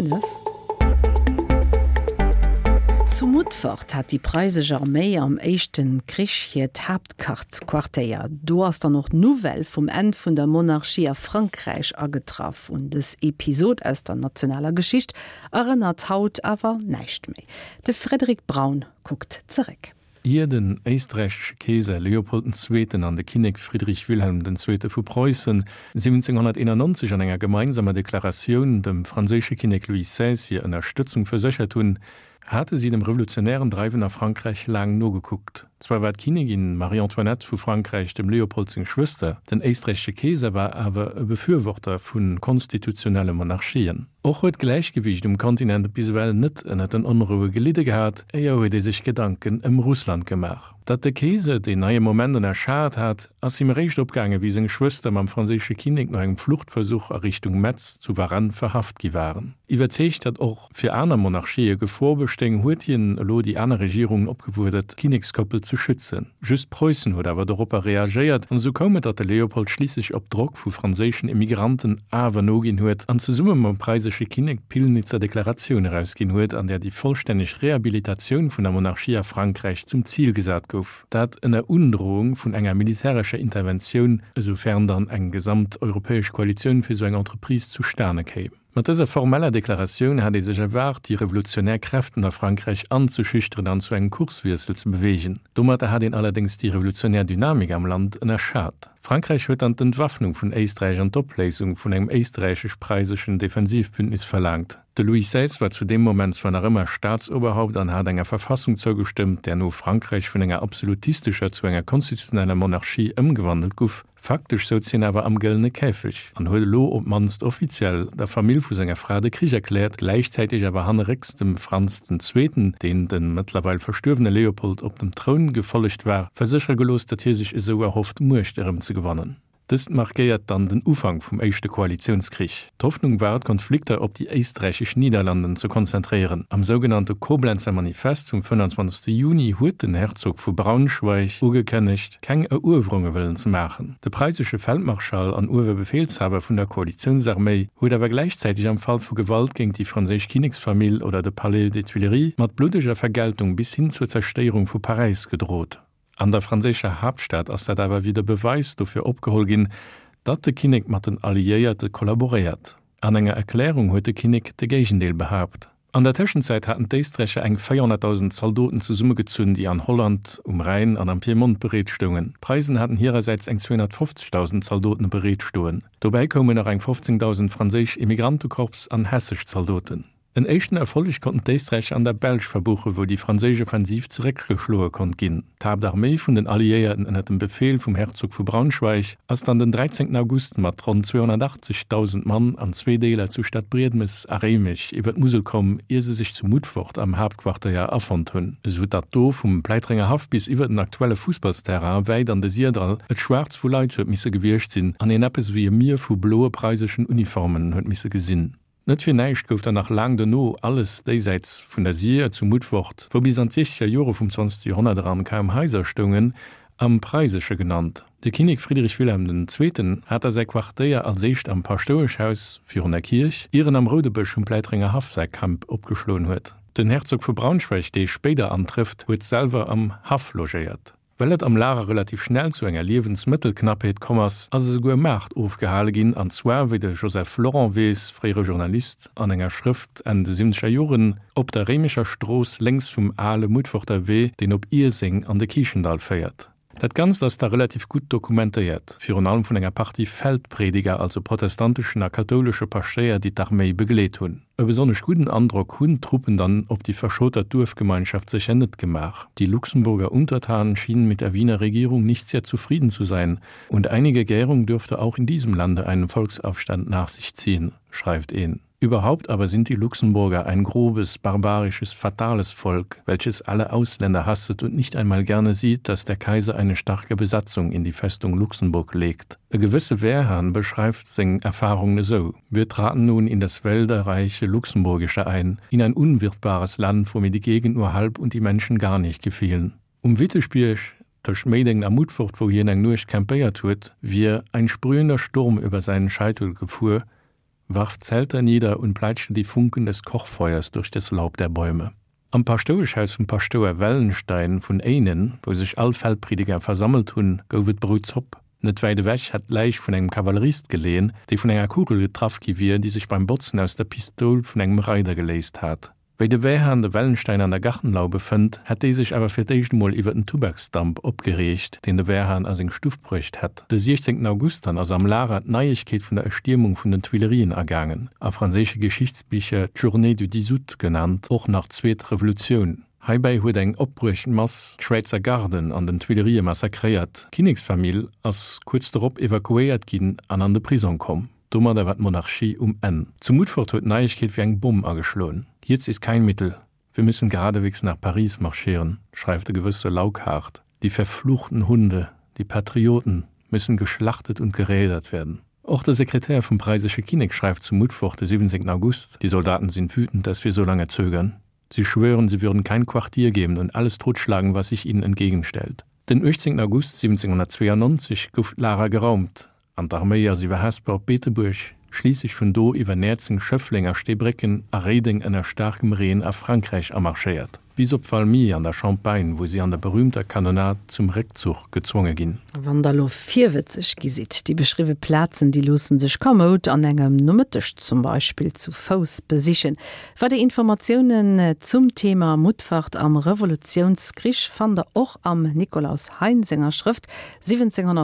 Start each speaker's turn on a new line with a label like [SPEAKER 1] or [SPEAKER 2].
[SPEAKER 1] 5. Zu Mutfert hat déi preisesch Arméi am éischte Krich hiert Haaptquartéier. Do ass dann och d'Nouvelle vum Enn vun der Monarchie a Frankräich agetraff. Un dës Episod aus der nationaler Geschicht erënnert haut awer näischt méi. De Frédéric Braun kuckt zeréck.
[SPEAKER 2] Ier den éisträichesche Keeser Leopold den Zweeten an de Kinnek Friedrich Wilhelm den Zweete vu Preussen 1791 an enger gemeinsamer Deklaratioun dem franséische Kinnek Louis xvi hir Ënnerstëtzung verséchert hunn, hate si dem revolutionären Dreiwen a Frankräich laang nogekuckt. Zwar war d'Kinnigin Marie-Antoinette vu Frankräich dem Leopold seng Schwëster, den éisträichesche Keeser war awer e Befürworter vu konstitutionelle Monarchien. Och huet d'Gläichgewiicht um Kontinent bis ewell net ënner den Onroue gelidde gehat, éier huet ee sech Gedanken ëm Russland gemaach. Datt de Keeser deen neie Moment ënnerschat hat, ass him eréischt opgaange wéi seng Schwëster mam franséische Kinnek no engem Fluchtversuch a Richtung Metz zu Varennes verhaft gi waren. Iwwerzeegt, datt och fir aner Monarchië Gefor bestéing, huet hien elo déi aner Regierungen opgefuerdert, d'Kinnekskoppel ze schützen. Just Preussen huet awer doropper reagéiert an esou koum et, datt de Leopold schliisslech op Drock vu franséischen Emigranten awer noginn huet an zesumme mam preisesche Kinnek d'Pillnitzer Deklaratioun erausginn huet, an där déi vollstänneg Rehabilitatioun vun der Monarchie a Frankräich zum Zil gesat gouf, dat ënner Undroung vun enger militärescher Interventioun, esoufern dann eng gesamteuropäesch Koalitioun fir esou eng Entreprise zustane kéim. Mat dëser formeller Deklaratioun hat ee sech erwaart, déi revolutionär Kräften a Frankräich anzeschüchteren an zu engem Kurswiessel ze beweegen. Domatter hat een allerdéngs déi revolutionär Dynamik am Land ënnerschat. Frankräich huet dann d'Entwaffnung vun Éisträich an d'Opléisung vun engem éisträichesch-preiseschen Defensivbündnis verlaangt. De Louis xvi war zu deem Moment zwar nach ëmmer Staatsoberhaupt an hat enger Verfassung zougestëmmt, där no Frankräich vun enger absolutistescher zu enger konstitutioneller Monarchie ëmgewandelt guff, Faktesch souz hien awer am gëllene Käfeg an huet elo op d'mannst offiziell der Famill vu senger Fra de Krich erkläert, gläichzäiteg awer hannerrécks dem Franz den Zweeten, deen dem mëttlerweil verstuerwene Leopold op dem Troun gefollegt war, verséchere gelooss, datt hie sech esou erhofft, Muecht erëmzegewannen. Dëst markéiert dann den Ufank vum Éischte Koalitiounskrich. D'Hoffnung war, d'Konflikter op déi éisträichesch Niederlanden ze konzentréieren. Am sougenannte Koblenzer Manifest vum 25. Juni huet den Herzog vu Braunschweig ugekënnegt, keng Eruewerunge wëllen ze maachen. De preisesche Feldmarschall an Uewerbefehlshaber vun der Koalitiounsarméi huet awer gläichzäiteg am Fall vu Gewalt géint déi franséisch Kinneksfamill oder de Palais des Tuileries mat bluddeger Vergeltung bis hin zur Zerstéierung vu Paräis gedrot. An der franséischer Haaptstad ass dat awer wéi de Beweis dofir opgeholl ginn, datt de Kinnek mat den Alliéierte kollaboréiert. An enger Erklärung huet de Kinnek de Géigendeel behaapt. An der Tëschenzäit haten d'Éisträicher eng 400.000 Zaldoten zesummegezunn, déi an Holland, um Rhäin an am Piemont bereet stoungen. D'Preisen haten hirersäits eng 250.000 Zaldoten bereet stoen. Dobäi koumen nach eng 15.000 franséisch Immigrantekorps an hessesch Zaldoten. En éischten Erfolleg konnten d'Éisträicher an der Belsch verbuchen, wou déi franséisch Offensiv zeréckgeschloe konnt ginn. D'Haaptarméi vun den Alliéierten ënner dem Befeel vum Herzog vu Braunschweig ass dann den 13 August mat ronn 280.000 Mann an zwee Deeler zu Stadbriedemes a Réimech iwwer d'Musel komm, ier se sech zu Mutfort am Haaptquartéier afonnt hunn, esou datt do vum Pläitrenger Haff bis iwwer den aktuelle Fussballsterrain wäit an de Sirdall et schwaarz vu Leit huet misse gewiescht sinn an een eppes ewéi e Mier vu bloe preiseschen Uniformen huet misse gesinn. Net fir näischt gouf dann nach laang dono alles déisäits vun der Sir zu Mutfort, wou bis an d'siechzeger Jore vum zwanzegste Joerhonnert eran kaum Haiser stoungen, am Preisesche genannt. De Kinnek Friedrich Wilhelm den Zweeten hat da säi Quartéier als éischt am Paschtoueschhaus virun der Kierch, ier en am Roudebësch um Pläitrenger Haff säi Camp opgeschloen huet. Den Herzog vu Braunschweig, dee spéider antrëfft, huet selwer am Haff logéiert. Well et am Lager relativ schnell zu enger Liewensmëttelknappheet komm ass, ass esouguer e Maart ofgehale ginn, an zwar, wéi de Joseph Lorent weess, fréiere Journalist, an enger Schrëft Enn de siwwenzeger Joren, op der Réimecher Strooss lénks vum ale Mutforter Wee, deen op Ierseng an de Kiischendall féiert. Dat Ganzt ass da relativ gutt dokumentéiert, virun allem vun enger Partie Feldprediger, also protestanteschen a kathoulesche Paschtéier, déi d'Arméi begleet hunn. E besonnesch gudden Androck hunn d'Truppen dann op déi verschotert Duerfgemeinschaft sécher net gemaach. Die Luxemburger Untertanen schienen mit der Wiener Regierung nicht sehr zufrieden zu sein und einige Gärung dürfte auch in diesem Lande einen Volksaufstand nach sich ziehen, schreift een. Überhaupt aber sind die Luxemburger ein grobes, barbarisches, fatales Volk, welches alle Ausländer hasset und nicht einmal gerne sieht, dass der Kaiser eine starke Besatzung in die Festung Luxemburg legt. E gewësse Wehrhahn beschreift seng Erfahrungen esou, Wir traten nun in das wälderreiche Luxemburgische ein, in ein unwirtbares Land, wo mir die Gegend nur halb und die Menschen gar nicht gefielen. Um Witteschbierg, tëscht Méideng a Mutfert, wou hien eng Nuecht campéiert huet, wier ein sprühender Sturm über seinen Scheitel gefuer. Warf Zelter nieder und peitschte die Funken des Kochfeuers durch das Laub der Bäume. Am Paschtoueschhaus vum Paschtouer Wellenstein vun Éinen, wou sech all Feldprediger versammelt hunn, gouf et Broutzopp. Net wäit ewech hätt d'Läich vun engem Kavallerist geleeën, dee vun enger Kugel getraff gi wier, déi sech beim Botzen aus der Pistoul vun engem Reider geléist hat. Wéi de Wehrhahn de Wellenstein an der Gartenlaube fënnt, hätt dee sech awer fir d'éischt emol iwwer den Tubaksdamp opgereegt, deen de Wehrhahn a seng Stuff bruecht hätt. De 16 August dann ass am Lager d'Neiegkeet vun der Erstiermung vun den Tuilerien ergaangen, a franséische Geschichtsbicher d'Journée du 10 août genannt, och nach Zweet Revolutioun. Heibäi huet eng opbruecht Mass d'Schwäizer Garden an den Tuilerië massakréiert. D'Kinneksfamill ass kuerz dorop evakuéiert ginn an an de Prisong komm. Domadder war d'Monarchie um Enn. Zu Mutfort huet d'Neiegkeet wéi eng Bomm ageschloen. Hierz ist kein Mittel, wir müssen geradewegs nach Paris marschieren, schreift e gewësse Laukhardt. Die verfluchten Hunde, die Patrioten müssen geschlachtet und gerädert werden. Och de Sekretär vum preisesche Kinnek schreift zu Mutfort de 17 August, Die Soldaten sind wütend, dass wir so lange zögern. Sie schwören, sie würden kein Quartier geben und alles totschlagen, was sich ihnen entgegenstellt. Den 18 August 1792 gouf d'Lager geraumt an d'Arméi ass iwwer Hesper op Beetebuerg, schliisslech vun do iwwer Näerzeng, Schëffleng a Steebrécken a Réideng ënner staarkem Reen a Frankräich amarschéiert, bis op Valmy an der Champagne, wou si an der berüümter Kanonad zum Réckzuch gezwonge ginn.
[SPEAKER 1] Wann der lo virwëtzeg gi sidd, déi beschriwwe Plazen, déi loosse sech kamoud an engem Nomëtteg zum Beispill zu Fouss besichen. Weider Informatiounen zum Thema Mutfert am Revolutiounskrich fannt der och am Nikolaus Hein senger Schrëft 1792.